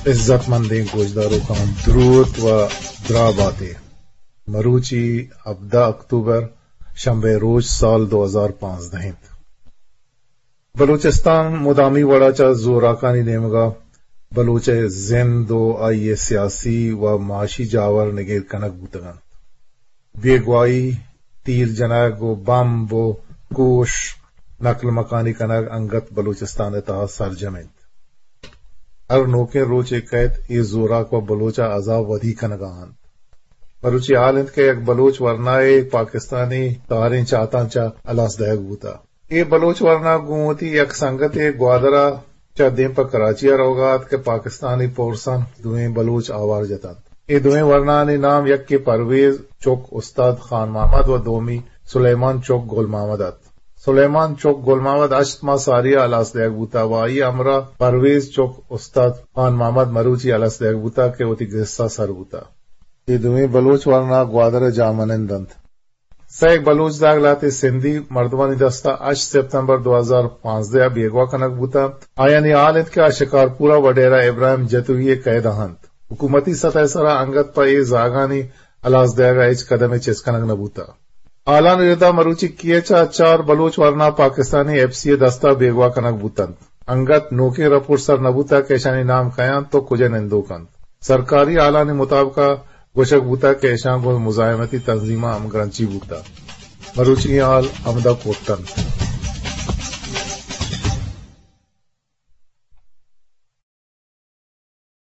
عزت مندیں گوشداروکاں دروت و دراہ باتے۔ مروچی ہبدہ اکتوبر، شنبے روچ، سال دو ہزار پانزدہ انت۔ بلوچستان مدامی وڑا چہ زوراکانی نیمگا بلوچ ءِ زند و آئی ءِ سیاسی و معاشی جاور نگیر کنگ بوتگ انت۔ بیگواہی، تیر جنگ و بمب و کوش، نقل مکانی کنگ انگت بلوچستان ءِ تہا سرجم انت۔ ہر نوکیں روچے کئیت، اے زوراک پہ بلوچ ءَ عذاب ودی کنگا انت۔ مروچی حال انت کہ یک بلوچ ورنائے پاکستانی تہاریں چاتاں چہ ہلاس دئیگ بوتہ۔ اے بلوچ ورنا گوں وتی یک سنگتے گوادر ءَ چہ دیم پہ کراچی ءَ روگا ات کہ پاکستانی پورساں دوئیں بلوچ آوار جتنت۔ اے دوئیں ورنانی نام یکے پرویز چک استاد خان محمد و دومی سلیمان چک گل محمد ات۔ سلیمان چک گل محمد ہشت ماہ ساری ءَ ہلاس دئیگ بوتہ و آئی ہمراہ پرویز چک استاد خان محمد مروچی ہلاس دئیگ بوتہ کہ وتی گسا سر بوتہ۔ اے دوئیں بلوچ ورنا گوادر ءِ جاہ منند انت۔ سئیک بلوچ زاگ لہتے سندھی مردمانی دستا ہشت سپتمبر دو ہزار پانزدہ ءَ بیگواہ کنگ بوتنت۔ آیانی حال انت کہ آ شکارپور ءَ وڈیرہ ابراہیم جتوئی ءِ قید ءَ انت۔ حکومتی سطح ءِ سرا انگت پہ اے زاگانی ہلاس دئیگ ءَ ہچ قدمے چست کنگ نہ بوتہ۔ حالانی ردا مروچی کیچ ءَ چار بلوچ ورنا پاکستانی ایف سی ءِ دستا بیگواہ کنگ بوتنت۔ انگت نوکیں رپورٹ سر نہ بوتگ کہ اشانی نام کئے انت و کجا نندوک انت۔ سرکاری حالانی مطابق ءَ گوشگ بوتگ کہ اشاں گوں مزاحمتی تنظیماں ہمگرنچی بوتگ۔ مروچی حال ہمدا کٹ انت۔